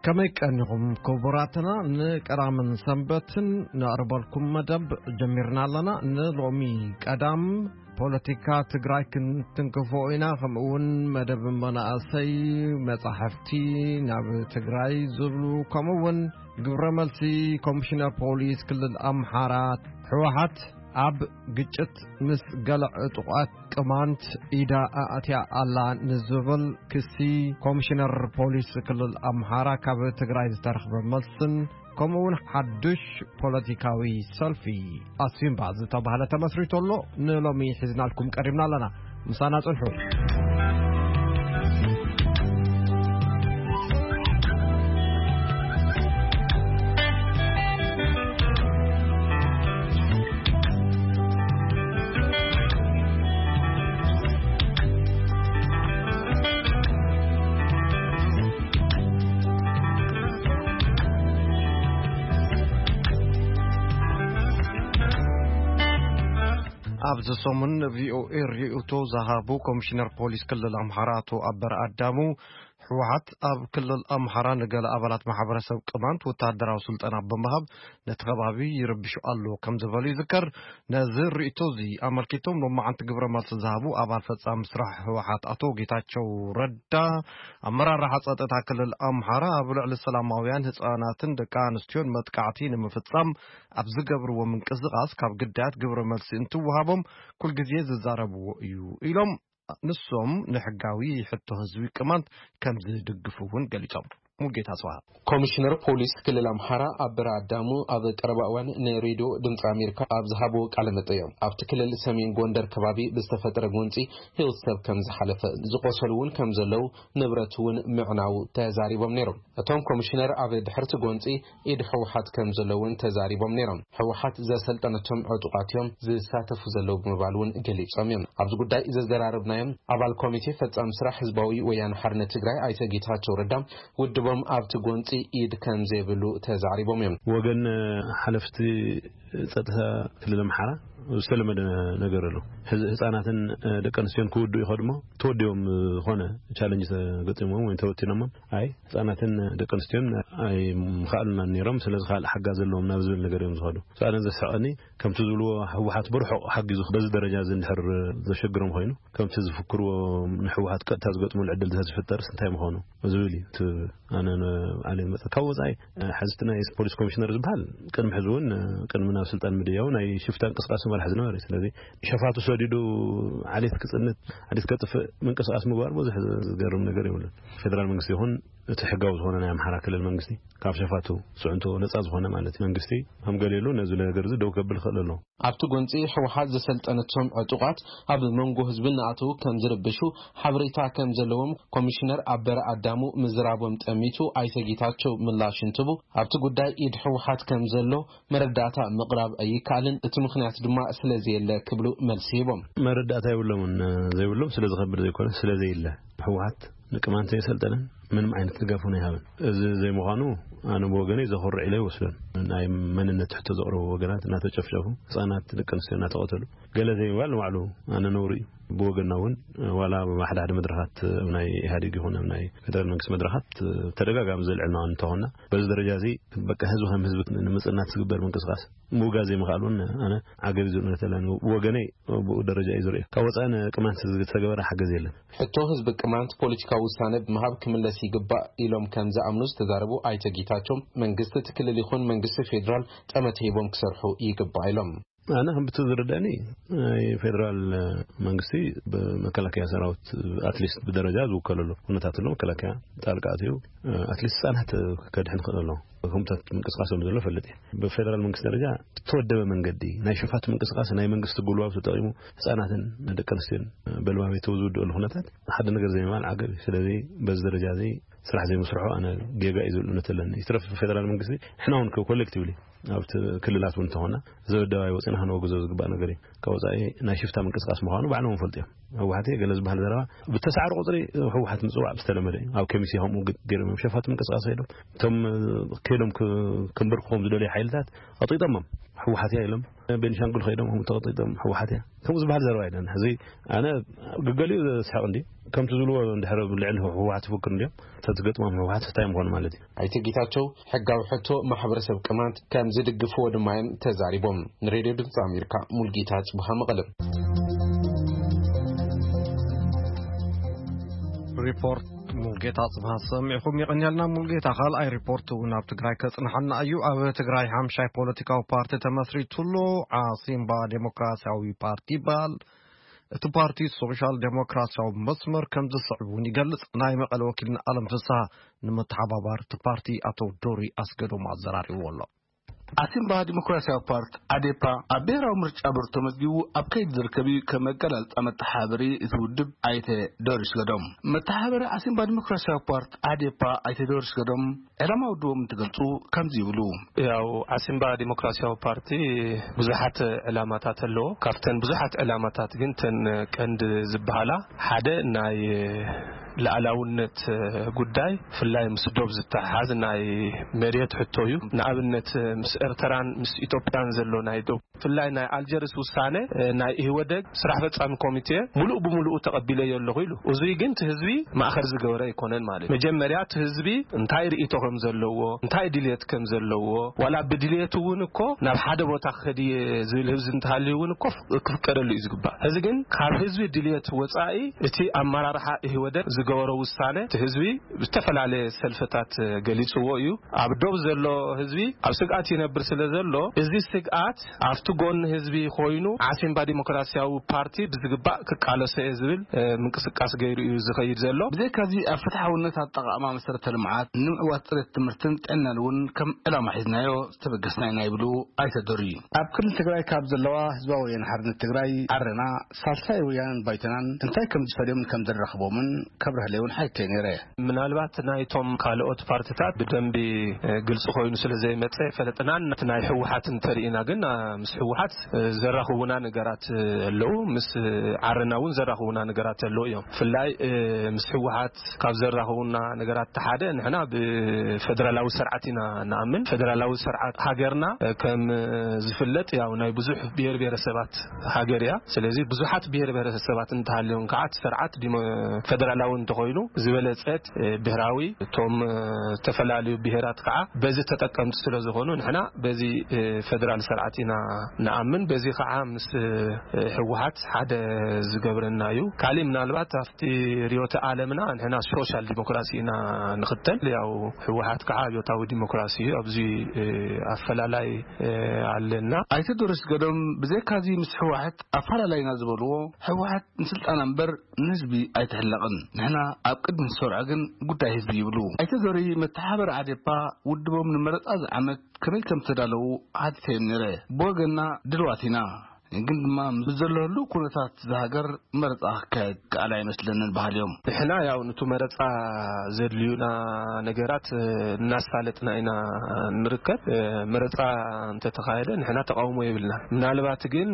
ከመይ ቀኒኹም ክቡራትና? ንቀዳምን ሰንበትን ነቕርበልኩም መደብ ጀሚርና ኣለና። ንሎሚ ቀዳም ፖለቲካ ትግራይ ክንትንክፎ ኢና። ከምኡ እውን መደብ መናእሰይ፣ መጻሕፍቲ ናብ ትግራይ ዝብሉ፣ ከምኡ እውን ግብረ መልሲ ኮሚሽነር ፖሊስ ክልል ኣምሓራ፣ ህወሓት ኣብ ግጭት ምስ ገለ ዕጡቓት ቅማንት ኢዳ ኣእትያ ኣላ ንዝብል ክሲ፣ ኮሚሽነር ፖሊስ ክልል ኣምሓራ ካብ ትግራይ ዝተረኽበ መልስን፣ ከምኡ እውን ሓዱሽ ፖለቲካዊ ሰልፊ ኣሲምባ ዝተባህለ ተመስሪቱ ኣሎ። ንሎሚ ሒዝናልኩም ቀሪብና ኣለና። ምሳና ጽንሑ። ኣብዚ ሰሙን ቪኦኤ ርእይቶ ዝሃቡ ኮሚሽነር ፖሊስ ክልል ኣምሓራ ኣቶ ኣበረ ኣዳሙ፣ ህወሓት ኣብ ክልል ኣምሓራ ንገለ ኣባላት ማሕበረሰብ ቅማንት ወታደራዊ ስልጠና ብምሃብ ነቲ ከባቢ ይረብሹ ኣሎ ከም ዝበሉ ይዝከር። ነዚ ርእይቶ እዚ ኣመልኪቶም ሎማዓንቲ ግብረ መልሲ ዝሃቡ ኣባል ፈጻሚ ስራሕ ህወሓት ኣቶ ጌታቸው ረዳ፣ ኣመራርሓ ጸጥታ ክልል ኣምሓራ ኣብ ልዕሊ ሰላማውያን ህጻናትን ደቂ ኣንስትዮን መጥቃዕቲ ንምፍጻም ኣብ ዝገብርዎ ምንቅስቓስ ካብ ግዳያት ግብረ መልሲ እንትወሃቦም ኩልግዜ ዝዛረብዎ እዩ ኢሎም። ንሶም ንሕጋዊ ሕቶ ህዝቢ ቅማንት ከም ዝድግፉ እውን ገሊጾም። ሙልጌታ ጽባህ። ኮሚሽነር ፖሊስ ክልል ኣምሓራ ኣበረ ኣዳሙ ኣብ ቀረባ እዋን ንሬድዮ ድምፂ ኣሜሪካ ኣብ ዝሃብዎ ቃለ መጠይቕ፣ ኣብቲ ክልል ሰሜን ጎንደር ከባቢ ብዝተፈጠረ ጎንፂ ህይወት ሰብ ከም ዝሓለፈ፣ ዝቆሰሉ እውን ከም ዘለዉ፣ ንብረት እውን ምዕናዉ ተዛሪቦም ነይሮም። እቶም ኮሚሽነር ኣብ ድሕርቲ ጎንፂ ኢድ ህወሓት ከም ዘሎ እውን ተዛሪቦም ነይሮም። ህወሓት ዘሰልጠነቶም ዕጡቓት እዮም ዝሳተፉ ዘለዉ ብምባል እውን ገሊጾም እዮም። ኣብዚ ጉዳይ ዘዘራረብናዮም ኣባል ኮሚቴ ፈጻሚ ስራሕ ህዝባዊ ወያነ ሓርነት ትግራይ ኣይተ ጌታቸው ረዳ፣ ውድቦም ኣብቲ ጎንፂ ኢድ ከም ዘይብሉ ተዛሪቦም እዮም። ወገን ሓለፍቲ ጸጥታ ክልል ኣምሓራ ዝተለመደ ነገር ኣሎ። ህዝ-፣ ህጻናትን፣ እ፣ ደቂ ኣንስትዮን ክውድኡ ይኸዱ እሞ ተወዲኦም፣ እ፣ ዝኾነ ቻለንጅ ተገጢሞም ወይ ተወቲኖሞም፣ ኣይ፣ ህጻናትን ደቂ ኣንስትዮን ኣይምኸኣሉናን ነይሮም፣ ስለዚ ካልእ ሓጋዝ ዘለዎም ናብ ዝብል ነገር እዮም ዝኸዱ። ኣነ ዘስሕቐኒ፣ ከምቲ ዝብልዎ ህወሓት ብርሑቕ ሓጊዙ በዚ ደረጃ እዚ እንድሕር ዘሸግሮም ኮይኑ፣ ከምቲ ዝፍክርዎ ንህወሓት ቀጥታ ዝገጥሙሉ ዕድል እንተዝፍጠርስ እንታይ ምኾኑ ዝብል እዩ። እቲ ኣነ ን-፣ ኣነ ዝመጸ ካብ ወጻኢ፣ እ፣ ሕዚ እቲ ናይ ፖሊስ ኮሚሽነር ዝበሃል ቅድሚ ሕዚ እውን፣ እ፣ ቅድሚ ናብ ስልጣን ምድያው ናይ ሽፍታ እንቅስቃሴ መራሒ ዝነበረ እዩ። ስለዚ ሸፋቱ ሰዲዱ ዓሌት ክጽንት፣ ዓሌት ከጥፍእ ምንቅስቃስ ምግባር ብዙሕ ዝገርም ነገር የብሉን። ፌደራል መንግስቲ ይኹን እቲ ሕጋዊ ዝኾነ ናይ ኣምሓራ ክልል መንግስቲ ካብ ሸፋቱ ጽዕንቶ ነጻ ዝኾነ ማለት መንግስቲ ከም ገሌሉ ነዚ ነገር እዚ ደው ከብል ይኽእል ኣሎ። ኣብቲ ጎንፂ ህወሓት ዘሰልጠነቶም ዕጡቓት ኣብ መንጎ ህዝቢ እናኣተዉ ከም ዝርብሹ ሓበሬታ ከም ዘለዎም ኮሚሽነር ኣበረ ኣዳሙ ምዝራቦም ጠሚቱ ኣይተ ጌታቸው ምላሽ እንትቡ፣ ኣብቲ ጉዳይ ኢድ ህወሓት ከም ዘሎ መረዳእታ ምቕራብ ኣይከኣልን፣ እቲ ምኽንያት ድማ ስለ ዘየለ ክብሉ መልሲ ሂቦም። መረዳእታ የብሎምን፣ ዘይብሎም ስለ ዝኸብድ ዘይኮነ፣ ስለ ዘየለ። ህወሓት ንቅማንት የሰልጠነን ምንም ዓይነት ድጋፍ እውን ኣይሃበን። እዚ ዘይምዃኑ ኣነ ብወገነይ ዘኹርዕ ኢለ ይወስዶን። ናይ መንነት ሕቶ ዘቕረቡ ወገናት እናተጨፍጨፉ፣ ህፃናት፣ ደቂ ኣንስትዮ እናተቐተሉ፣ ገለ ዘይምባል ንባዕሉ ኣነ ነውሪ እዩ። ብወገንና እውን ዋላ ኣብ ሓደ ሓደ መድረኻት፣ ኣብ ናይ ኢህኣዴግ ይኹን ኣብ ናይ ፌደራል መንግስቲ መድረኻት ተደጋጋሚ ዘልዕልና እንተኾንና፣ በዚ ደረጃ እዚ በቃ ህዝቢ ከም ህዝቢ ንምፅናት ዝግበር ምንቅስቃስ ምውጋዝ ዘይምኽኣል እውን ኣነ ዓገብ እዩ ዝብል። ብወገነይ ብኡ ደረጃ እዩ ዝርእዮ። ካብ ወፃኢ ንቅማንት ዝተገበረ ሓገዝ የለን። ሕቶ ህዝቢ ቅማንት ፖለቲካዊ ውሳነ ብምሃብ ክምለስ ይግባእ ኢሎም ከም ዝኣምኑ ዝተዛረቡ ኣይተ ጌታቸው፣ መንግስቲ እቲ ክልል ይኹን መንግስቲ ፌዴራል ጠመተ ሂቦም ክሰርሑ ይግባእ ኢሎም። ኣነ ከም ብቲ ዝርዳእኒ ናይ ፌዴራል መንግስቲ ብመከላከያ ሰራዊት ኣትሊስት ብደረጃ ዝውከለሉ ኩነታት ኣሎ። መከላከያ ጣልቃ ኣትዩ ኣትሊስት ህፃናት ከድሕን ክእል ኣሎ። ከምታት ምንቅስቃስ ከም ዘሎ ፈልጥ እየ። ብፌደራል መንግስቲ ደረጃ ዝተወደበ መንገዲ ናይ ሸፋቱ ምንቅስቃስ ናይ መንግስቲ ጉልባብ ተጠቂሙ ህፃናትን ደቂ ኣንስትዮን በልባቤት ዝውድእሉ ኩነታት ሓደ ነገር ዘይምባል ዓገብ እዩ። ስለዚ በዚ ደረጃ እዚ ስራሕ ዘይምስርሑ ኣነ ጌጋ እዩ ዝብል እምነት ኣለኒ። ይትረፍ ፌደራል መንግስቲ ንሕና እውን ኮሌክቲቭሊ ኣብቲ ክልላት እውን እንተኾና ዘበደባይ ወፂና ክነወግዞ ዝግባእ ነገር እዩ። ካብ ወፃኢ ናይ ሽፍታ ምንቅስቃስ ምዃኑ ባዕሎም እውን ፈልጡ እዮም። ህወሓት ገለ ዝበሃል ዘረባ ብተሳዕሪ ቁፅሪ ህወሓት ምፅዋዕ ዝተለመደ እዩ። ኣብ ከሚሴ ከምኡ ግ-፣ ገይሮም እዮም ሸፋቱ ምንቅስቃስ ከይዶም እቶም ከይዶም ክ-፣ ክንበርክኾም ዝደልዩ ሓይልታት ኣጥቂጦሞም። ህወሓት እያ ኢሎም፣ ቤኒሻንጉል ከይዶም ከም ተቐጢጦም ህወሓት እያ ከምኡ ዝበሃል ዘረባ ኣይደን። ሕዚ ኣነ ግገሊኡ ዘስሕቕ እንዲ ከምቲ ዝብልዎ እንድሕር ልዕሊ ህወሓት ይፍክር እንዲዮም ተትገጥሞም ህወሓት እንታይ ምኾኑ ማለት እዩ። ኣይተ ጌታቸው ሕጋዊ ሕቶ ማሕበረሰብ ቅማንት ከም ዝድግፍዎ ድማ እዮም ተዛሪቦም። ንሬድዮ ድምፂ ኣሜሪካ ሙልጌታ ጽቡሃ መቐለም። ሪፖርት ሙልጌታ ጽብሃ ሰሚዕኹም። የቐንየልና ሙልጌታ። ካልኣይ ሪፖርት እውን ኣብ ትግራይ ከጽንሓና እዩ። ኣብ ትግራይ ሓምሻይ ፖለቲካዊ ፓርቲ ተመስሪቱሉ። ዓሲምባ ዴሞክራሲያዊ ፓርቲ ይበሃል። እቲ ፓርቲ ሶሻል ዴሞክራሲያዊ መስመር ከም ዝስዕብ እውን ይገልጽ። ናይ መቐለ ወኪልና ኣለም ፍስሃ ንመተሓባባሪ እቲ ፓርቲ ኣቶ ዶሪ ኣስገዶም ኣዘራሪብዎ ኣሎ። ኣሲምባ ዲሞክራሲያዊ ፓርቲ ኣዴፓ ኣብ ብሔራዊ ምርጫ ቦርድ ተመዝጊቡ ኣብ ከይዲ ዝርከብ እዩ። ከም መገላልጻ መተሓባበሪ እቲ ውድብ ኣይተ ዶሪስ ገዶም፣ መተሓባበሪ ኣሲምባ ዲሞክራሲያዊ ፓርቲ ኣዴፓ ኣይተ ዶሪስ ገዶም ዕላማ ውድቦም እንትገልጹ ከምዚ ይብሉ። ያው ዓሲምባ ዲሞክራሲያዊ ፓርቲ ብዙሓት ዕላማታት ኣለዎ። ካብተን ብዙሓት ዕላማታት ግን ተን ቀንዲ ዝበሃላ ሓደ ናይ ሉዓላውነት ጉዳይ ብፍላይ ምስ ዶብ ዝተሓሓዝ ናይ መሬት ሕቶ እዩ። ንኣብነት ምስ ኤርትራን ምስ ኢትዮጵያን ዘሎ ናይ ዶብ ብፍላይ ናይ ኣልጀርስ ውሳነ ናይ ኢህወደግ ስራሕ ፈጻሚ ኮሚቴ ሙሉእ ብሙሉኡ ተቐቢለዮ ኣለኹ ኢሉ። እዙይ ግን እቲ ህዝቢ ማእኸል ዝገበረ ኣይኮነን ማለት እዩ። መጀመርያ እቲ ህዝቢ እንታይ ርእይቶ ከም ዘለዎ እንታይ ድልየት ከም ዘለዎ ዋላ ብድልየቱ እውን እኮ ናብ ሓደ ቦታ ክኸድ እየ ዝብል ህዝቢ እንተሃልዩ እውን እኮ ክፍቀደሉ እዩ ዝግባእ። እዚ ግን ካብ ህዝቢ ድልየት ወፃኢ እቲ ኣመራርሓ ኢህወደግ ዝገበሮ ውሳነ እቲ ህዝቢ ብዝተፈላለየ ሰልፍታት ገሊፅዎ እዩ። ኣብ ዶብ ዘሎ ህዝቢ ኣብ ስግኣት ይነብር ስለ ዘሎ እዚ ስግኣት ኣብቲ ጎኒ ህዝቢ ኮይኑ ዓሲምባ ዲሞክራሲያዊ ፓርቲ ብዝግባእ ክቃለሶ እየ ዝብል ምንቅስቃስ ገይሩ እዩ ዝኸይድ ዘሎ። ብዘይካዚ ኣብ ፍትሓውነት ኣጠቓቕማ መሰረተ ልምዓት ንምዕዋት ፅሬት ትምህርትን ጥዕናን እውን ከም ዕላማ ሒዝናዮ ዝተበገስና ኢና ይብሉ ኣይተ ዶሪ። ኣብ ክልል ትግራይ ካብ ዘለዋ ህዝባዊ ወያነ ሓርነት ትግራይ ዓረና ሳልሳይ ወያነን ባይቶናን እንታይ ከም ዝፈልዮምን ከም ዘራኽቦምን ከብርህለይ እውን ሓይተይ ነይረ። ምናልባት ናይቶም ካልኦት ፓርትታት ብደንቢ ግልፂ ኮይኑ ስለ ዘይመፀ ፈለጥናን እቲ ናይ ህወሓት እንተርኢና ግን ምስ ህወሓት ዘራኽቡና ነገራት ኣለዉ፣ ምስ ዓረና እውን ዘራኽቡና ነገራት ኣለዉ እዮም። ብፍላይ ምስ ህወሓት ካብ ዘራኽቡና ነገራት ሓደ ንሕና ብፌደራላዊ ስርዓት ኢና ንኣምን። ፌደራላዊ ስርዓት ሃገርና ከም ዝፍለጥ ያው ናይ ብዙሕ ብሔር ብሔረሰባት ሃገር እያ። ስለዚ ብዙሓት ብሔር ብሔረሰባት እንተሃልዮም ከዓ እቲ ስርዓት ዲሞ- ፌደራላዊ እንተኾይኑ ዝበለፀት ብሔራዊ እቶም ዝተፈላለዩ ብሔራት ከዓ በዚ ተጠቀምቲ ስለ ዝኾኑ ንሕና በዚ ፌደራል ስርዓት ኢና ንኣምን። በዚ ከዓ ምስ ህወሓት ሓደ ዝገብረና እዩ። ካሊእ ምናልባት ኣብቲ ርዮተ ዓለምና ንሕና ሶሻል ዲሞክራሲ ኢና ንኽተል። ያው ህወሓት ከዓ ኣብዮታዊ ዲሞክራሲ እዩ። ኣብዚ ኣፈላላይ ኣለና። ኣይተ ዶሪስ ገዶም ብዘይካዚ ምስ ህወሓት ኣፈላላይና ዝበልዎ ህወሓት ንስልጣና እምበር ንህዝቢ ኣይትሕለቕን። ንሕና ኣብ ቅድሚ ዝሰርዖ ግን ጉዳይ ህዝቢ ይብሉ። ኣይተ ዶሪ መተሓባበሪ ኣዴፓ ውድቦም ንመረፃ ዝዓመት ከመይ ከም ዝተዳለዉ ሓቲተዮም ነይረ። ብወገንና ድልዋት ኢና፣ ግን ድማ ምስ ዘሎ ህሉው ኩነታት እዛ ሃገር መረፃ ክካየድ ከኣል ኣይመስለንን በሃሊ እዮም። ንሕና ያው ንቱ መረፃ ዘድልዩና ነገራት እናሳለጥና ኢና ንርከብ። መረፃ እንተተኻየደ ንሕና ተቃውሞ የብልና። ምናልባት ግን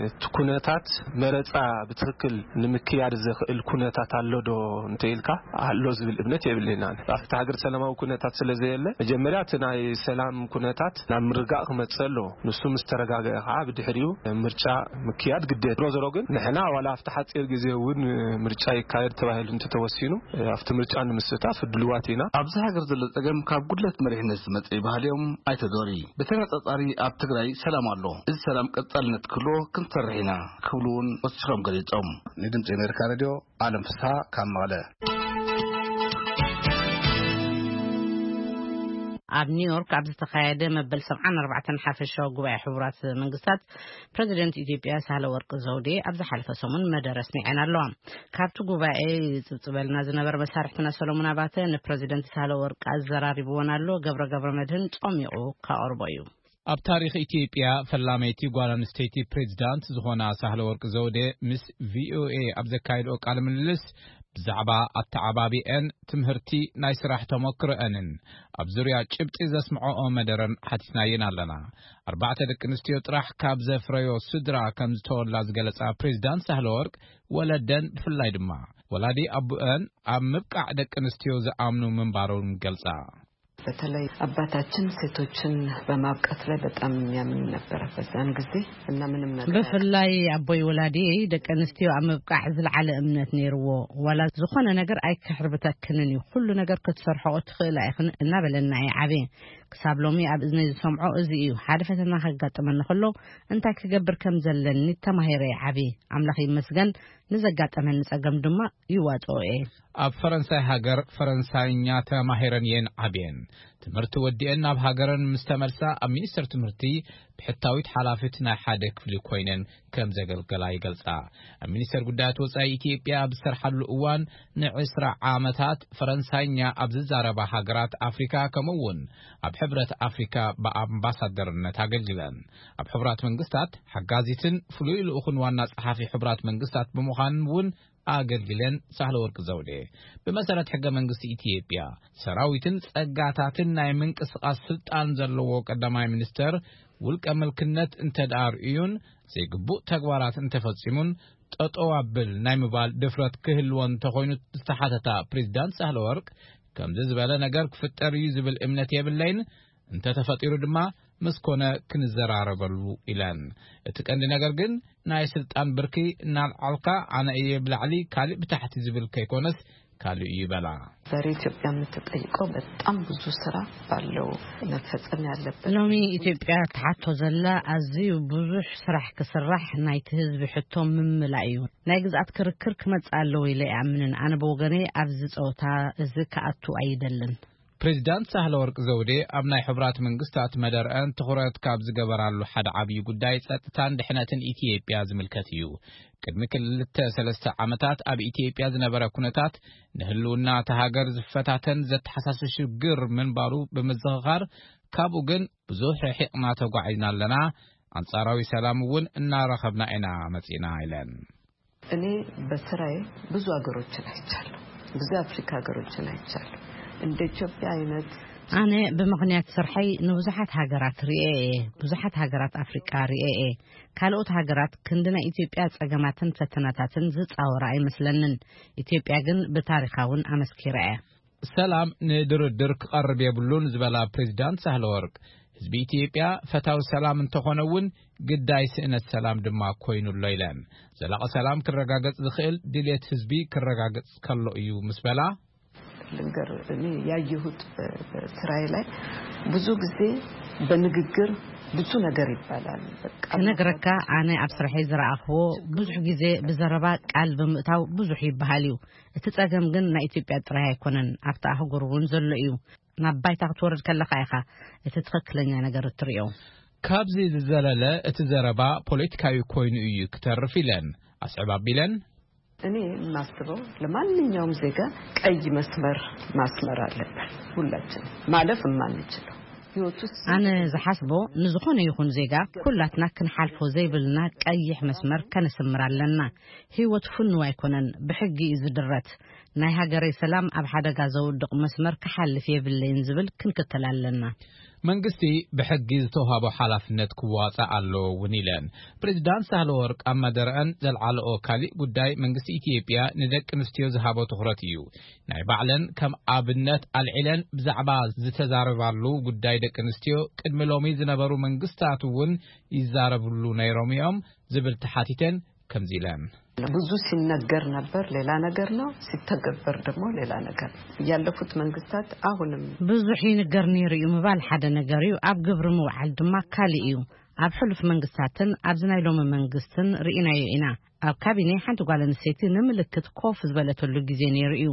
እቲ ኩነታት መረፃ ብትክክል ንምክያድ ዘኽእል ኩነታት ኣሎ ዶ እንተኢልካ ኣሎ ዝብል እምነት የብልና። ኣብቲ ሃገር ሰላማዊ ኩነታት ስለ ዘየለ መጀመርያ እቲ ናይ ሰላም ኩነታት ናብ ምርጋእ ክመፅእ ኣለዎ። ንሱ ምስ ተረጋገአ ከዓ ብድሕሪኡ ምርጫ ምክያድ ግዴታ። ዞሮ ዞሮ ግን ንሕና ዋላ ኣብቲ ሓፂር ግዜ እውን ምርጫ ይካየድ ተባሂሉ እንተተወሲኑ ኣብቲ ምርጫ ንምስታፍ ድልዋት ኢና። ኣብዚ ሃገር ዘሎ ፀገም ካብ ጉድለት መሪሕነት ዝመፀ እዩ በሃሊ እዮም ኣይተ ዶሪ። ብተነፃፃሪ ኣብ ትግራይ ሰላም ኣሎ። እዚ ሰላም ቀፃልነት ክህልዎ ክንሰርሕ ኢና ክብሉ እውን ወሲኾም ገሊፆም። ንድምፂ ኣሜሪካ ሬድዮ ኣለም ፍስሃ ካብ መቐለ። ኣብ ኒውዮርክ ኣብ ዝተኻየደ መበል ሰብዓን ኣርባዕተን ሓፈሻዊ ጉባኤ ሕቡራት መንግስታት ፕረዚደንት ኢትዮጵያ ሳህለ ወርቅ ዘውዴ ኣብ ዝሓለፈ ሰሙን መደረ ኣስሚዐን ኣለዋ። ካብቲ ጉባኤ ይጽብጽበልና ዝነበረ መሳርሕትና ሰሎሞን ኣባተ ንፕረዚደንት ሳህለ ወርቅ ኣዘራሪብዎን ኣሎ። ገብረ ገብረ መድህን ጾሚቑ ካቐርቦ እዩ። ኣብ ታሪኽ ኢትዮጵያ ፈላመይቲ ጓል ኣንስተይቲ ፕሬዚዳንት ዝኾና ሳህለ ወርቅ ዘውዴ ምስ ቪኦኤ ኣብ ዘካየድኦ ቃለ ምልልስ ብዛዕባ ኣተዓባቢአን ትምህርቲ፣ ናይ ስራሕ ተመክሮአንን ኣብ ዙርያ ጭብጢ ዘስምዐኦ መደረን ሓቲትናየን ኣለና። ኣርባዕተ ደቂ ኣንስትዮ ጥራሕ ካብ ዘፍረዮ ስድራ ከም ዝተወላ ዝገለጻ ፕሬዚዳንት ሳህለ ወርቅ ወለደን ብፍላይ ድማ ወላዲ ኣቡአን ኣብ ምብቃዕ ደቂ ኣንስትዮ ዝኣምኑ ምንባሮም ገልጻ። በተለይ አባታችን ሴቶችን በማብቃት ላይ በጣም የሚያምን ነበረ በዛን ጊዜ። እና ምንም ነገር ብፍላይ ኣቦይ ወላዲየይ ደቂ ኣንስትዮ ኣብ ምብቃዕ ዝለዓለ እምነት ነይርዎ። ዋላ ዝኾነ ነገር ኣይክሕርብተክንን እዩ፣ ኩሉ ነገር ክትሰርሖ ትኽእላ ኢኽን እናበለና እየ ዓብየ። ክሳብ ሎሚ ኣብ እዝነይ ዝሰምዖ እዚ እዩ። ሓደ ፈተና ከጋጥመኒ ከሎ እንታይ ክገብር ከም ዘለኒ ተማሂረ እየ ዓብየ። ኣምላኽ ይመስገን፣ ንዘጋጠመኒ ጸገም ድማ ይዋጽኦ እየ። ኣብ ፈረንሳይ ሃገር ፈረንሳይኛ ተማሂረን እየን ዓብየን። ትምህርቲ ወዲአን ናብ ሃገረን ምስ ተመልሳ ኣብ ሚኒስቴር ትምህርቲ ብሕታዊት ሓላፊት ናይ ሓደ ክፍሊ ኮይነን ከም ዘገልገላ ይገልጻ። ኣብ ሚኒስቴር ጉዳያት ወጻኢ ኢትዮጵያ ኣብ ዝሰርሓሉ እዋን ንዕስራ ዓመታት ፈረንሳይኛ ኣብ ዝዛረባ ሃገራት ኣፍሪካ ከምኡ እውን ኣብ ሕብረት ኣፍሪካ ብኣምባሳደርነት ኣገልግለን። ኣብ ሕቡራት መንግስታት ሓጋዚትን ፍሉይ ልኡኽን ዋና ጸሓፊ ሕቡራት መንግስታት ብምዃን እውን ኣገልግለን። ሳህለ ወርቅ ዘውዴ ብመሰረት ሕገ መንግስቲ ኢትዮጵያ ሰራዊትን ጸጋታትን ናይ ምንቅስቓስ ስልጣን ዘለዎ ቀዳማይ ሚኒስተር ውልቀ ምልክነት እንተደኣ ርእዩን ዘይግቡእ ተግባራት እንተፈጺሙን ጠጠው ኣብል ናይ ምባል ድፍረት ክህልዎ እንተኾይኑ ዝተሓተታ ፕሬዚዳንት ሳህለ ወርቅ ከምዚ ዝበለ ነገር ክፍጠር እዩ ዝብል እምነት የብለይን፣ እንተተፈጢሩ ድማ ምስ ኮነ ክንዘራረበሉ ኢለን። እቲ ቀንዲ ነገር ግን ናይ ስልጣን ብርኪ እናልዓልካ ኣነ እየ ብላዕሊ ካልእ ብታሕቲ ዝብል ከይኮነስ ካልእ እዩ በላ። ዛሬ ኢትዮጵያ የምትጠይቀው በጣም ብዙ ስራ ባለው መፈጸም ያለበት። ሎሚ ኢትዮጵያ ትሓቶ ዘላ ኣዝዩ ብዙሕ ስራሕ ክስራሕ፣ ናይቲ ህዝቢ ሕቶ ምምላእ እዩ። ናይ ግዝኣት ክርክር ክመጽእ ኣለዎ ኢለ ይኣምንን። ኣነ ብወገነይ ኣብዚ ጸወታ እዚ ክኣቱ ኣይደልን። ፕሬዚዳንት ሳህለ ወርቅ ዘውዴ ኣብ ናይ ሕቡራት መንግስታት መደርአን ትኹረት ካብ ዝገበራሉ ሓደ ዓብዪ ጉዳይ ጸጥታን ድሕነትን ኢትዮጵያ ዝምልከት እዩ። ቅድሚ ክልተ ሰለስተ ዓመታት ኣብ ኢትዮጵያ ዝነበረ ኩነታት ንህልውና እታ ሃገር ዝፈታተን ዘተሓሳስብ ሽግር ምንባሩ ብምዝኽኻር፣ ካብኡ ግን ብዙሕ ርሒቕና ተጓዒዝና ኣለና፣ ኣንጻራዊ ሰላም እውን እናረኸብና ኢና መጺእና ኢለን። እኔ በስራዬ ብዙ ሀገሮችን አይቻለሁ፣ ብዙ የአፍሪካ ሀገሮችን አይቻለሁ። እንደ ኢትዮጵያ አይነት ኣነ ብምኽንያት ስርሐይ ንብዙሓት ሃገራት ርእየ እየ። ብዙሓት ሃገራት ኣፍሪቃ ርእየ እየ። ካልኦት ሃገራት ክንዲ ናይ ኢትዮጵያ ጸገማትን ፈተናታትን ዝጻወራ ኣይመስለንን። ኢትዮጵያ ግን ብታሪኻ እውን ኣመስኪራ እያ። ሰላም ንድርድር ክቐርብ የብሉን ዝበላ ፕሬዚዳንት ሳህለ ወርቅ፣ ህዝቢ ኢትዮጵያ ፈታዊ ሰላም እንተኾነ እውን ግዳይ ስእነት ሰላም ድማ ኮይኑ ኣሎ ኢለን። ዘላቒ ሰላም ክረጋገጽ ዝኽእል ድልየት ህዝቢ ክረጋገጽ ከሎ እዩ ምስ በላ፣ ልንገር፣ እኔ ያየሁት በ-፣ በስራዬ ላይ ብዙ ጊዜ በንግግር ብዙ ነገር ይባላል። በቃ ክነግረካ፣ ኣነ ኣብ ስርሐይ ዝረኣኽዎ ብዙሕ ግዜ ብዘረባ ቃል ብምእታው ብዙሕ ይበሃል እዩ። እቲ ጸገም ግን ናይ ኢትዮጵያ ጥራይ ኣይኮነን፣ ኣብቲ ኣህጉር እውን ዘሎ እዩ። ናብ ባይታ ክትወርድ ከለኻ ኢኻ እቲ ትኽክለኛ ነገር እትርእዮ። ካብዚ ዝዘለለ እቲ ዘረባ ፖለቲካዊ ኮይኑ እዩ ክተርፍ ኢለን ኣስዕብ ኣቢለን። እኔ የማስበው ለማንኛውም ዜጋ ቀይ መስመር ማስመር አለበት። ሁላችን ማለፍ የማንችለው ህይወት ውስጥ ኣነ ዝሓስቦ ንዝኾነ ይኹን ዜጋ ኩላትና ክንሓልፎ ዘይብልና ቀይሕ መስመር ከነስምር ኣለና። ህይወት ፍኑው ኣይኮነን፣ ብሕጊ እዩ ዝድረት። ናይ ሃገረይ ሰላም ኣብ ሓደጋ ዘውድቕ መስመር ክሓልፍ የብለይን ዝብል ክንክተል ኣለና። መንግስቲ ብሕጊ ዝተውሃቦ ሓላፍነት ክዋጻእ ኣለዎ እውን ኢለን። ፕሬዚዳንት ሳህለ ወርቅ ኣብ መደረአን ዘልዓለኦ ካሊእ ጉዳይ መንግስቲ ኢትዮጵያ ንደቂ ኣንስትዮ ዝሃቦ ትኹረት እዩ። ናይ ባዕለን ከም ኣብነት ኣልዒለን ብዛዕባ ዝተዛረባሉ ጉዳይ ደቂ ኣንስትዮ ቅድሚ ሎሚ ዝነበሩ መንግስታት እውን ይዛረብሉ ነይሮም እዮም ዝብል ተሓቲተን ከምዚ ኢለን። ብዙ ሲነገር ነበር፣ ሌላ ነገር ነው፣ ሲተገበር ደግሞ ሌላ ነገር ነው። ያለፉት መንግስታት አሁንም ብዙሕ ይንገር ነይሩ እዩ ምባል ሓደ ነገር እዩ፣ ኣብ ግብሪ ምውዓል ድማ ካልእ እዩ። ኣብ ሕሉፍ መንግስታትን ኣብዚ ናይ ሎሚ መንግስትን ርኢናዮ ኢና። ኣብ ካቢኔ ሓንቲ ጓል ኣንስተይቲ ንምልክት ኮፍ ዝበለተሉ ግዜ ነይሩ እዩ።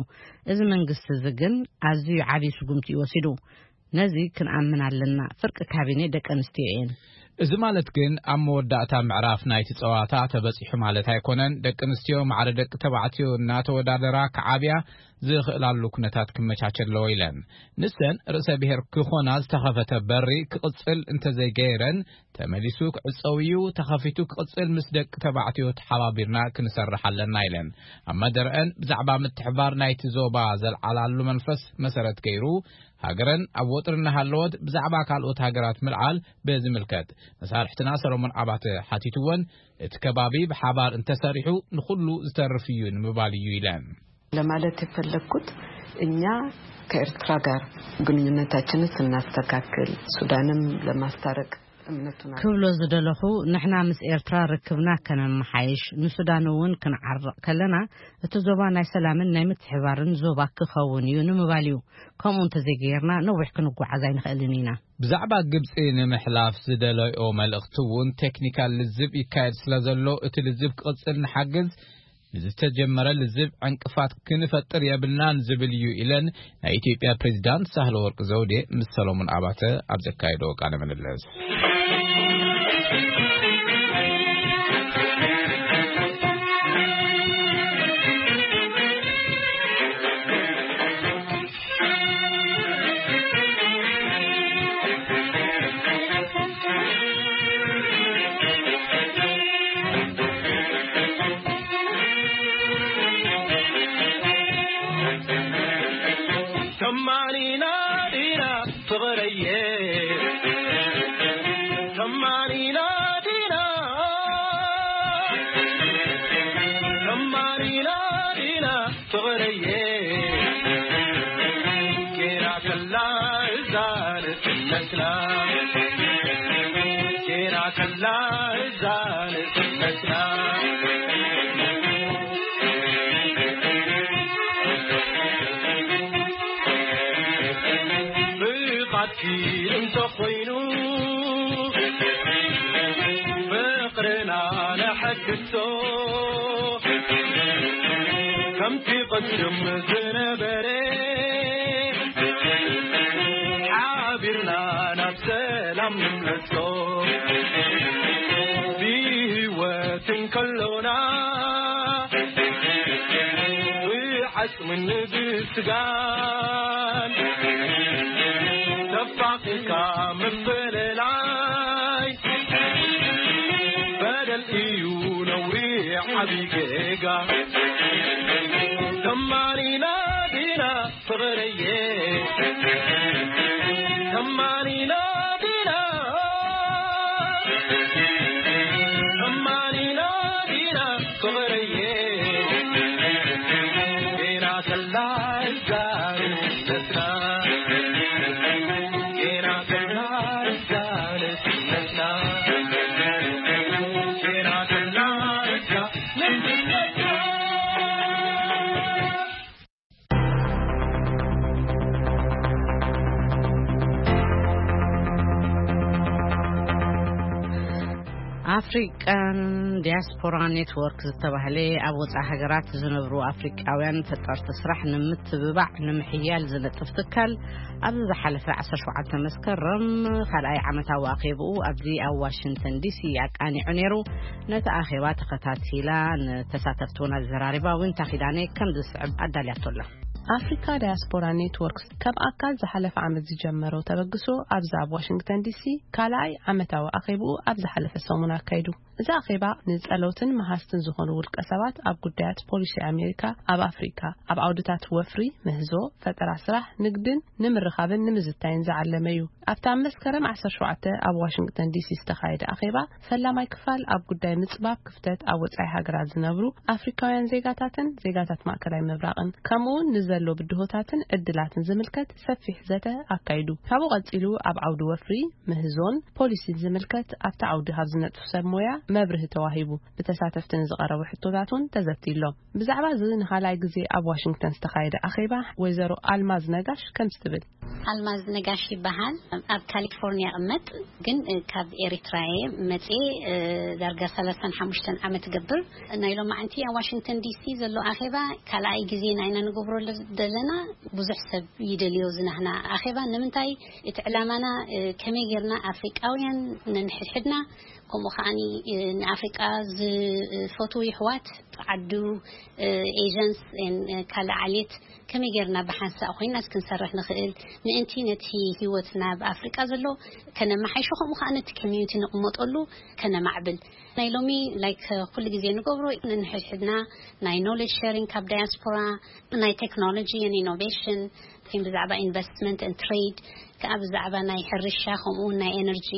እዚ መንግስቲ እዚ ግን ኣዝዩ ዓብዪ ስጉምቲ እዩ ወሲዱ። ነዚ ክንኣምን ኣለና። ፍርቂ ካቢኔ ደቂ ኣንስትዮ እየን። እዚ ማለት ግን ኣብ መወዳእታ ምዕራፍ ናይቲ ጸዋታ ተበጺሑ ማለት ኣይኮነን። ደቂ ኣንስትዮ ማዕረ ደቂ ተባዕትዮ እናተወዳደራ ክዓብያ ዝኽእላሉ ኩነታት ክመቻቸ ኣለዎ ኢለን። ንሰን ርእሰ ብሔር ክኾና ዝተኸፈተ በሪ ክቕጽል እንተዘይገይረን ተመሊሱ ክዕጸው እዩ። ተኸፊቱ ክቕጽል ምስ ደቂ ተባዕትዮ ተሓባቢርና ክንሰርሕ ኣለና ኢለን። ኣብ መደረአን ብዛዕባ ምትሕባር ናይቲ ዞባ ዘልዓላሉ መንፈስ መሰረት ገይሩ ሃገረን ኣብ ወጥሪ እናሃለወት ብዛዕባ ካልኦት ሃገራት ምልዓል ብዝምልከት መሳርሕትና ሰሎሞን ኣባተ ሓቲትወን፣ እቲ ከባቢ ብሓባር እንተሰሪሑ ንኹሉ ዝተርፍ እዩ ንምባል እዩ ኢለን። ለማለት የፈለግኩት እኛ ከኤርትራ ጋር ግንኙነታችንን ስናስተካክል ሱዳንም ለማስታረቅ እምነቱን ክብሎ ዝደለኹ፣ ንሕና ምስ ኤርትራ ርክብና ከነመሓይሽ፣ ንሱዳን እውን ክንዓርቕ ከለና፣ እቲ ዞባ ናይ ሰላምን ናይ ምትሕባርን ዞባ ክኸውን እዩ ንምባል እዩ። ከምኡ እንተዘይገይርና ነዊሕ ክንጓዓዝ ኣይንኽእልን ኢና። ብዛዕባ ግብጺ ንምሕላፍ ዝደለዮ መልእኽቲ እውን ቴክኒካል ልዝብ ይካየድ ስለ ዘሎ፣ እቲ ልዝብ ክቕጽል ንሓግዝ፣ ንዝተጀመረ ልዝብ ዕንቅፋት ክንፈጥር የብልናን ዝብል እዩ ኢለን ናይ ኢትዮጵያ ፕሬዚዳንት ሳህለ ወርቅ ዘውዴ ምስ ሰሎሞን ኣባተ ኣብ ዘካየዶ ቃለ ምልልስ። ኣፍሪቃን ዲያስፖራ ኔትወርክ ዝተባህለ ኣብ ወፃኢ ሃገራት ዝነብሩ ኣፍሪቃውያን ፈጠርቲ ስራሕ ንምትብባዕ ንምሕያል ዝነጥፍ ትካል ኣብዚ ዝሓለፈ ዓሰርተ ሸውዓተ መስከረም ካልኣይ ዓመታዊ ኣኼብኡ ኣብዚ ኣብ ዋሽንግተን ዲሲ ኣቃኒዑ ነይሩ። ነቲ ኣኼባ ተኸታቲላ ንተሳተፍቲ እውን ኣዘራሪባ ዊንታ ኪዳነ ከም ዝስዕብ ኣዳልያቶ ኣላ። ኣፍሪካ ዳያስፖራ ኔትወርክስ ከም ኣካል ዝሓለፈ ዓመት ዝጀመሮ ተበግሶ ኣብዚ ኣብ ዋሽንግተን ዲሲ ካልኣይ ዓመታዊ ኣኼብኡ ኣብ ዝሓለፈ ሰሙን ኣካይዱ። እዚ ኣኼባ ንጸለውትን መሃዝትን ዝኾኑ ውልቀ ሰባት ኣብ ጉዳያት ፖሊሲ ኣሜሪካ ኣብ ኣፍሪካ፣ ኣብ ዓውድታት ወፍሪ፣ ምህዞ፣ ፈጠራ ስራሕ፣ ንግድን ንምርኻብን ንምዝታይን ዝዓለመ እዩ። ኣብቲ ኣብ መስከረም ዓሰርተ ሸውዓተ ኣብ ዋሽንግተን ዲሲ ዝተኻየደ ኣኼባ፣ ፈላማይ ክፋል ኣብ ጉዳይ ምጽባብ ክፍተት ኣብ ወጻኢ ሃገራት ዝነብሩ ኣፍሪካውያን ዜጋታትን ዜጋታት ማእከላይ ምብራቕን፣ ከምኡ እውን ንዘሎ ብድሆታትን ዕድላትን ዝምልከት ሰፊሕ ዘተ ኣካይዱ። ካብኡ ቀጺሉ ኣብ ዓውዲ ወፍሪ፣ ምህዞን ፖሊሲን ዝምልከት ኣብቲ ዓውዲ ካብ ዝነጥፉ ሰብ ሞያ መብርሂ ተዋሂቡ። ብተሳተፍቲ ንዝቐረቡ ሕቶታት እውን ተዘትይሎም። ብዛዕባ እዚ ንኻልኣይ ግዜ ኣብ ዋሽንግተን ዝተኻየደ ኣኼባ ወይዘሮ ኣልማዝ ነጋሽ ከምዚ ትብል። ኣልማዝ ነጋሽ ይበሃል። ኣብ ካሊፎርኒያ እቕመጥ፣ ግን፣ እ፣ ካብ ኤሪትራ እየ መጽኤ፣ እ፣ ዳርጋ ሰላሳን ሓሙሽተን ዓመት እገብር። ናይ ሎማዓንቲ ኣብ ዋሽንግተን ዲሲ ዘሎ ኣኼባ ካልኣይ ግዜና ኢና ንገብሮ ዘለና። ብዙሕ ሰብ ይደልዮ ዝናህና ኣኼባ። ንምንታይ? እቲ ዕላማና፣ እ፣ ከመይ ጌርና ኣፍሪቃውያን ነንሕድሕድና፣ ከምኡ ከዓኒ፣ እ፣ ንኣፍሪቃ ዝፈትዉ ይሕዋት ዓዱ፣ እ፣ ኤጀንስ፣ ን፣ እ፣ ካልእ ዓሌት ከመይ ጌርና ብሓንሳእ ኮይና ክንሰርሕ ንኽእል፣ ምእንቲ ነቲ ህይወትና ኣብ ኣፍሪቃ ዘሎ ከነመሓይሾ፣ ከምኡ ከኣ ነቲ ኮሚዩኒቲ ንቕመጠሉ ከነማዕብል። ናይ ሎሚ፣ ላይክ፣ ኩሉ ግዜ ንገብሮ፣ ንሕድሕድና ናይ ኖሌጅ ሸሪንግ ካብ ዳያስፖራ፣ ናይ ቴክኖሎጂ ን ኢኖቬሽን፣ ብዛዕባ ኢንቨስትመንት ን ትሬድ፣ ከዓ ብዛዕባ ናይ ሕርሻ ከምኡ እውን ናይ ኤነርጂ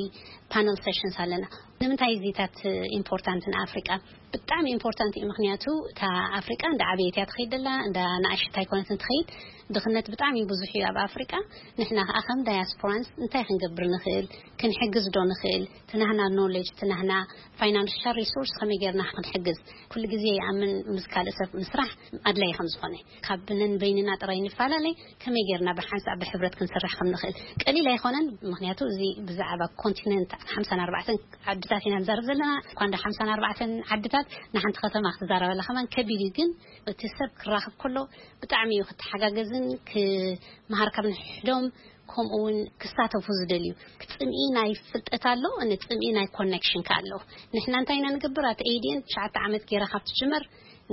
ፓነል ሴሽንስ ኣለና። ንምንታይ እዚታት ኢምፖርታንት ንኣፍሪቃ? ብጣዕሚ ኢምፖርታንት እዩ። ምክንያቱ እታ ኣፍሪቃ እንዳ ዓበየት እያ ትኸይድ ዘላ፣ እንዳ ንኣሽት ኣይኮነትን ትኸይድ። ድኽነት ብጣዕሚ ብዙሕ እዩ ኣብ ኣፍሪቃ። ንሕና ከዓ ከም ዳያስፖራንስ እንታይ ክንገብር ንኽእል? ክንሕግዝ ዶ ንኽእል? ትናህና ኖሌጅ፣ ትናህና ፋይናንሻል ሪሶርስ ከመይ ጌርና ክንሕግዝ? ኩሉ ግዜ ይኣምን ምስ ካልእ ሰብ ምስራሕ ኣድላይ ከም ዝኾነ፣ ካብ ነን በይንና ጥራይ ንፈላለይ ከመይ ጌርና ብሓንሳብ ብሕብረት ክንስራሕ ከም ንኽእል ቀሊል ኣይኮነን። ምክንያቱ እዚ ብዛዕባ ኮንቲነንት ሓምሳን ኣርባዕተን ዓድታት ኢና ንዛረብ ዘለና። እኳ እንደ ሓምሳን ኣርባዕተን ዓድታት ንሓንቲ ከተማ ክትዛረበላ ከማን ከቢድ እዩ። ግን እቲ ሰብ ክራኸብ ከሎ ብጣዕሚ እዩ ክተሓጋገዝን ክመሃር ካብ ንሕዶም ከምኡ እውን ክሳተፉ ዝደልዩ። ክፅምኢ ናይ ፍልጠት ኣሎ፣ ንፅምኢ ናይ ኮኔክሽን ከ ኣሎ። ንሕና እንታይ ኢና ንገብር? ኣቲ ኤዲኤን ትሽዓተ ዓመት ገይራ ካብ ትጅመር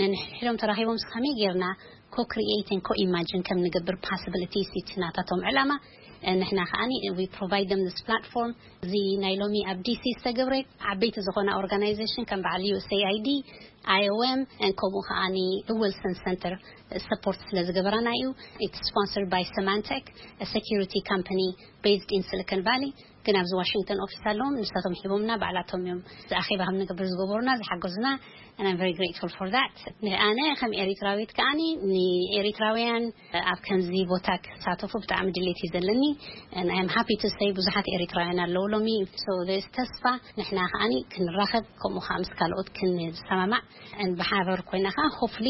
ነንሕዶም ተራኺቦም ከመይ ጌርና ኮ ክሪኤትን ኮ ኢማጅን ከም ንገብር ፓስብሊቲስ እቲ ናታቶም ዕላማ። ንሕና ከዓኒ we provide them this platform። እዚ ናይ ሎሚ ኣብ ዲሲ ዝተገብረ ዓበይቲ ዝኾነ ኦርጋናይዜሽን ከም በዓል ዩ ኤስ ኤ ኣይ ዲ፣ ኣይ ኦ ኤም፣ ከምኡ ከዓኒ ዊልሰን ሰንተር ሰፖርት ስለ ዝገበራና እዩ። It's sponsored by Symantec, a security company based in Silicon Valley። ግን ኣብዚ ዋሽንግተን ኦፊስ ኣለዎም፣ ንሳቶም ሂቦምና ባዕላቶም እዮም እዚ ኣኼባ ከም ንገብር ዝገበሩና ዝሓገዙና። And I'm very grateful for that። ኣነ ከም ኤሪትራዊት ከዓኒ ንኤሪትራውያን ኣብ ከምዚ ቦታ ክሳተፉ ብጣዕሚ ድሌት እዩ ዘለኒ። And I'm happy to say ብዙሓት ኤሪትራውያን ኣለዉ ሎሚ። So there's ተስፋ። ንሕና ከዓኒ ክንራኸብ፣ ከምኡ ከዓ ምስ ካልኦት ክንሰማማዕ፣ and ብሓበር ኮይና ከዓ ሆፍሊ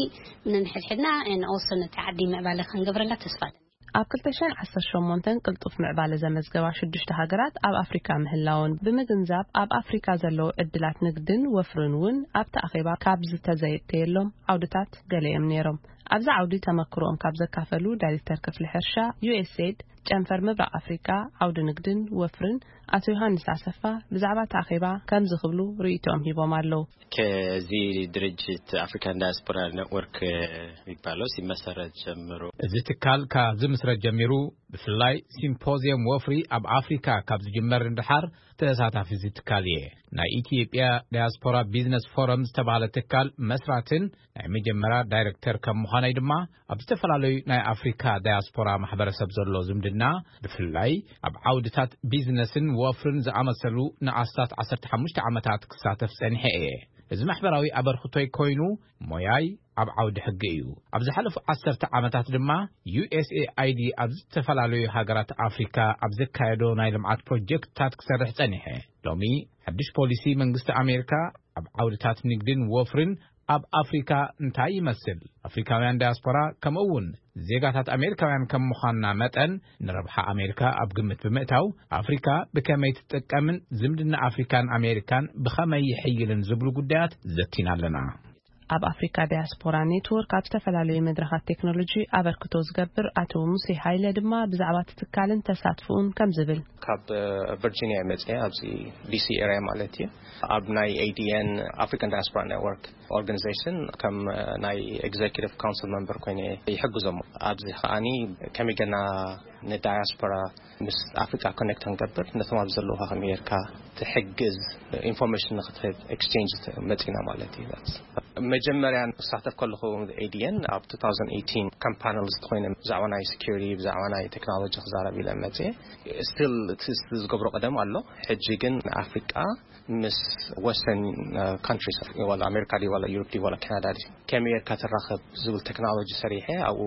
ነንሕድሕድና and also ነቲ ዓዲ ምዕባለ ክንገብረላ ተስፋ ኣለኒ። ኣብ ክልተ ሽሕን ዓሰርተ ሸሞንተን ቅልጡፍ ምዕባለ ዘመዝገባ ሽዱሽተ ሃገራት ኣብ ኣፍሪካ ምህላውን ብምግንዛብ፣ ኣብ ኣፍሪካ ዘለዉ ዕድላት ንግድን ወፍርን እውን ኣብቲ ኣኼባ ካብ ዝተዘየተየሎም ዓውድታት ገለ እዮም ነይሮም። ኣብዚ ዓውዲ ተመክሮኦም ካብ ዘካፈሉ ዳይሬክተር ክፍሊ ሕርሻ ዩ ኤስ ኤድ ጨንፈር ምብራቕ ኣፍሪካ ዓውዲ ንግድን ወፍርን ኣቶ ዮሃንስ ኣሰፋ ብዛዕባ እቲ ኣኼባ ከምዚ ክብሉ ርእይቶኦም ሂቦም ኣለዉ። ከዚ ድርጅት ኣፍሪካን ዳያስፖራ ኔትወርክ የሚባለው ሲመሰረት ጀምሮ፣ እዚ ትካል ካብ ዝምስረት ጀሚሩ ብፍላይ ሲምፖዚየም ወፍሪ ኣብ ኣፍሪካ ካብ ዝጅመር ንድሓር ተሳታፊ እዚ ትካል እየ። ናይ ኢትዮጵያ ዳያስፖራ ቢዝነስ ፎረም ዝተባህለ ትካል መስራትን ናይ መጀመርያ ዳይሬክተር ከም ምዃነይ ድማ ኣብ ዝተፈላለዩ ናይ ኣፍሪካ ዳያስፖራ ማሕበረሰብ ዘሎ ዝምድና፣ ብፍላይ ኣብ ዓውድታት ቢዝነስን ወፍርን ዝኣመሰሉ ንኣስታት ዓሰርተ ሓሙሽተ ዓመታት ክሳተፍ ጸኒሐ እየ። እዚ ማሕበራዊ ኣበርክቶይ ኮይኑ ሞያይ ኣብ ዓውዲ ሕጊ እዩ። ኣብ ዝሓለፉ ዓሰርተ ዓመታት ድማ ዩ ኤስ ኤ ኣይ ዲ ኣብ ዝተፈላለዩ ሃገራት ኣፍሪካ ኣብ ዘካየዶ ናይ ልምዓት ፕሮጀክትታት ክሰርሕ ጸኒሐ። ሎሚ ሓድሽ ፖሊሲ መንግስቲ ኣሜሪካ ኣብ ዓውድታት ንግድን ወፍርን ኣብ ኣፍሪካ እንታይ ይመስል? ኣፍሪካውያን ዳያስፖራ ከምኡ እውን ዜጋታት ኣሜሪካውያን ከም ምዃንና መጠን ንረብሓ ኣሜሪካ ኣብ ግምት ብምእታው ኣፍሪካ ብከመይ ትጥቀምን ዝምድና ኣፍሪካን ኣሜሪካን ብኸመይ ይሕይልን ዝብሉ ጉዳያት ዘቲና ኣለና። ኣብ ኣፍሪካ ዳያስፖራ ኔትወርክ ኣብ ዝተፈላለዩ መድረኻት ቴክኖሎጂ ኣበርክቶ ዝገብር ኣቶ ሙሴ ሃይለ ድማ ብዛዕባ እቲ ትካልን ተሳትፎኡን ከም ዝብል። ካብ ቨርጂኒያ ይመጽእ ኣብዚ ዲሲ ኤሪያ ማለት እዩ። ኣብ ናይ ኤ ዲ ኤን ኣፍሪካን ዳያስፖራ ኔትወርክ ኦርጋኒዜሽን ከም ናይ ኤግዜኪቲቭ ካውንስል መምበር ኮይነ ይሕግዞም። ኣብዚ ከዓኒ ከመይ ገና ንዳያስፖራ ምስ ኣፍሪካ ኮኔክት ክንገብር ነቶም ኣብ ዘለውካ ከመይ ጌርካ ትሕግዝ ኢንፎርሜሽን ንክትህብ ኤክስቼንጅ መፂና ማለት እዩ። መጀመርያ ክሳተፍ ከለኹ ኤ ዲ ኤን ኣብ two thousand eighteen ከም ፓነሊስት ኮይነ ብዛዕባ ናይ ሴኩሪቲ ብዛዕባ ናይ ቴክኖሎጂ ክዛረብ ኢለ መፅየ። ስቲል እቲ ዝገብሮ ቀደም ኣሎ። ሕጂ ግን ንኣፍሪቃ ምስ ወስተርን ካንትሪስ ዋላ ኣሜሪካ ድዩ ዋላ ዩሮፕ ድዩ ዋላ ካናዳ ድዩ ከመይ ጌርካ ትራኸብ ዝብል ቴክኖሎጂ ሰሪሐ ኣብኡ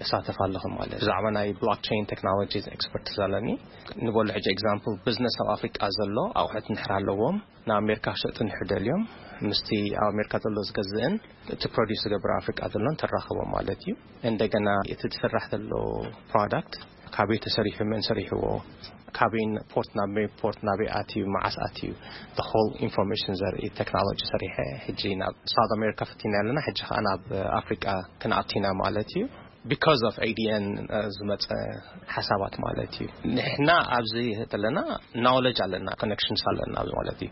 እሳተፍ ኣለኹ ማለት። ብዛዕባ ናይ ብሎክቸይን ቴክኖሎጂ ኤክስፐርት ዘለኒ ንበሉ። ሕጂ ኤግዛምፕል ቢዝነስ ኣብ ኣፍሪቃ ዘሎ ኣቑሑት ንሕር ኣለዎም ንኣሜሪካ ክሸጡ ንሕር ደልዮም ምስቲ ኣብ ኣሜሪካ ዘሎ ዝገዝእን እቲ ፕሮዲስ ዝገብር ኣፍሪቃ ዘሎን ተራኽቦም ማለት እዩ። እንደገና እቲ ዝስራሕ ዘሎ ፕሮዳክት ካበይ ተሰሪሑ መን ሰሪሕዎ ካበይ ፖርት ናብ መይ ፖርት ናበይ ኣትዩ መዓስ ኣትዩ ሆል ኢንፎርሜሽን ዘርኢ ቴክኖሎጂ ሰሪሐ ሕጂ ናብ ሳውት ኣሜሪካ ፈቲና ኣለና። ሕጂ ከዓ ናብ ኣፍሪቃ ክንኣቲና ማለት እዩ። ቢካዝ ኦፍ ኤ ዲ ኤን ዝመፀ ሓሳባት ማለት እዩ። ንሕና ኣብዚ ዘለና ናውለጅ ኣለና ኮኔክሽንስ ኣለና ኣብዚ ማለት እዩ።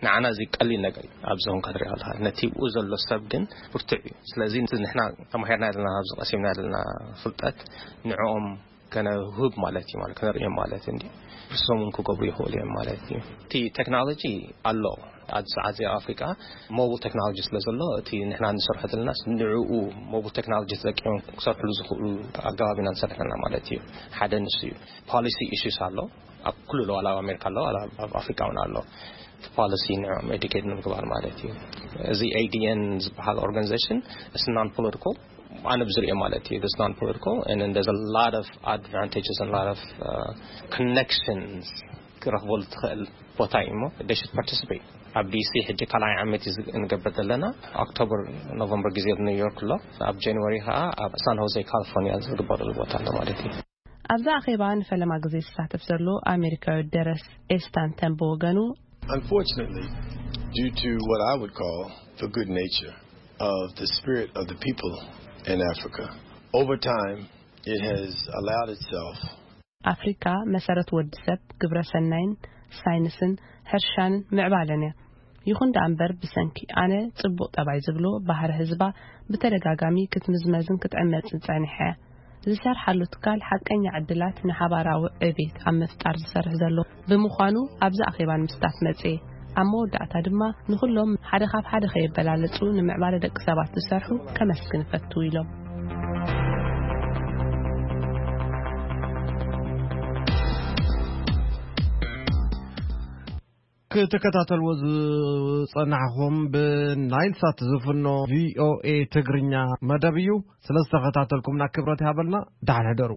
ንዓና እዚ ቀሊል ነገር እዩ። ኣብዚ ኹን ክትሪኦ ኣለካ ነቲ ብኡ ዘሎ ሰብ ግን ብርቱዕ እዩ። ስለዚ ንሕና ተማሂርና ዘለና ኣብዚ ቀሲምና ዘለና ፍልጠት ንዕኦም ከነህብ ማለት እዩ ማለት ከነርእዮም ማለት እንዲ እሶም እውን ክገብሩ ይኽእሉ እዮም ማለት እዩ። እቲ ቴክኖሎጂ ኣሎ ኣብዚ ሰዓት እዚ ኣብ ኣፍሪቃ ሞብል ቴክኖሎጂ ስለ ዘሎ፣ እቲ ንሕና ንሰርሖ ዘለና ንዕኡ ሞብል ቴክኖሎጂ ተጠቂሞም ክሰርሕሉ ዝኽእሉ ኣገባብ ኢና ንሰርሕ ዘለና ማለት እዩ። ሓደ ንሱ እዩ። ፖሊሲ ኢሹስ ኣሎ። ኣብ ኩሉ ኣሎ፣ ኣብ ኣሜሪካ ኣሎ፣ ኣብ ኣፍሪቃ እውን ኣሎ። እቲ ፖሊሲ ንዕኦም ኤዱኬት ንምግባር ማለት እዩ። እዚ ኤ ዲ ኤን ዝበሃል ኦርጋኒዜሽን፣ it's non political፣ ኣነ ብዝሪኦ ማለት እዩ። It's non political and there's a lot of advantages and a lot of uh, connections ክረኽበሉ ትኽእል ቦታ እዩ እሞ they should participate። ኣብ ዲ ሲ ሕጂ ካልኣይ ዓመት እዩ ዝግ- እንገብር ዘለና። ኦክቶበር፣ ኖቨምበር ግዜ ኣብ ኒውዮርክ ኣሎ። ኣብ ጃንዋሪ ከዓ ኣብ ሳን ሆዜ ካሊፎርኒያ ዝግበረሉ ቦታ ኣሎ ማለት እዩ። ኣብዛ ኣኼባ ንፈለማ ግዜ ዝሳተፍ ዘሎ ኣሜሪካዊ ደረስ ኤስታንተን ብወገኑ፣ Unfortunately, due to what I would call the good nature of the spirit of the people in Africa, over time it has allowed itself ኣፍሪካ መሰረት ወዲ ሰብ፣ ግብረ ሰናይን ሳይንስን ሕርሻን ምዕባለን እያ። ይኹን ደኣ እምበር፣ ብሰንኪ ኣነ ጽቡቕ ጠባይ ዝብሎ ባህሪ ህዝባ ብተደጋጋሚ ክትምዝመዝን ክትዕመጽን ጸኒሐ። ዝሰርሓሉ ትካል ሓቀኛ ዕድላት ንሓባራዊ ዕቤት ኣብ ምፍጣር ዝሰርሕ ዘሎ ብምዃኑ፣ ኣብዚ ኣኼባ ንምስታፍ መጽኤ። ኣብ መወዳእታ ድማ፣ ንኹሎም ሓደ ካብ ሓደ ከየበላለጹ ንምዕባለ ደቂ ሰባት ዝሰርሑ ከመስግን እፈቱ ኢሎም። ክትከታተልዎ ዝጸናሕኹም ብናይል ሳት ዝፍኖ ቪ ኦ ኤ ትግርኛ መደብ እዩ። ስለ ዝተኸታተልኩምና ክብረት ይሃበልና። ደሓን ሕደሩ።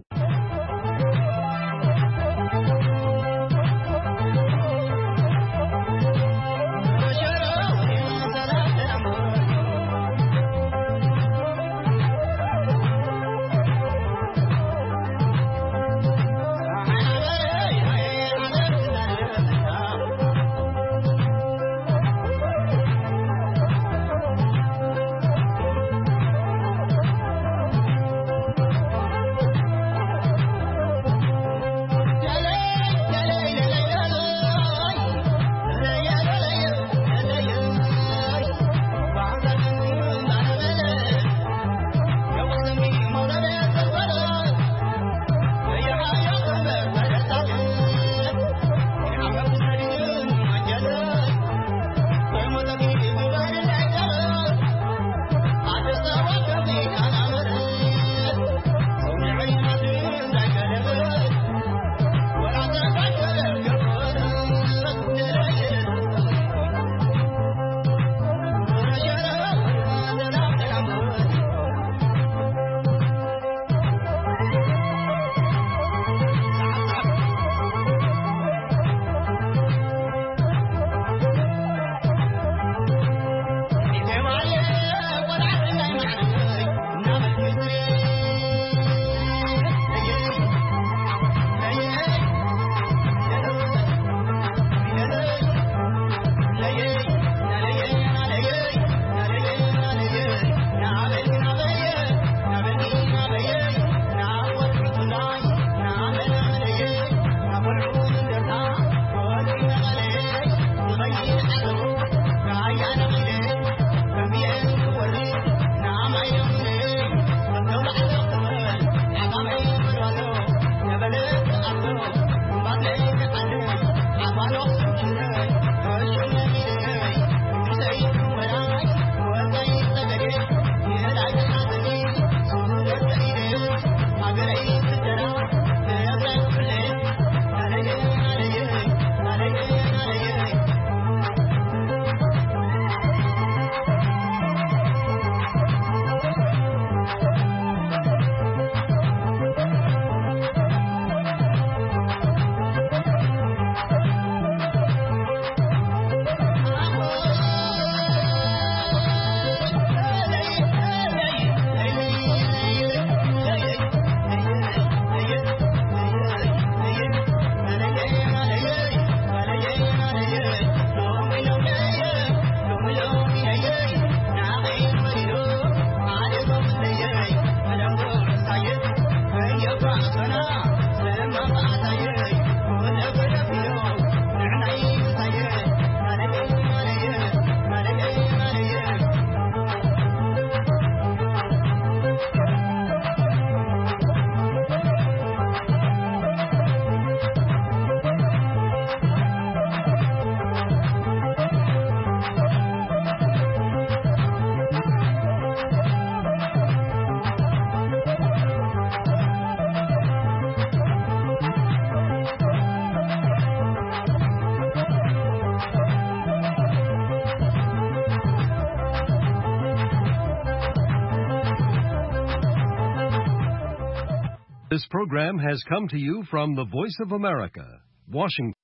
This program has come to you from the Voice of America, Washington.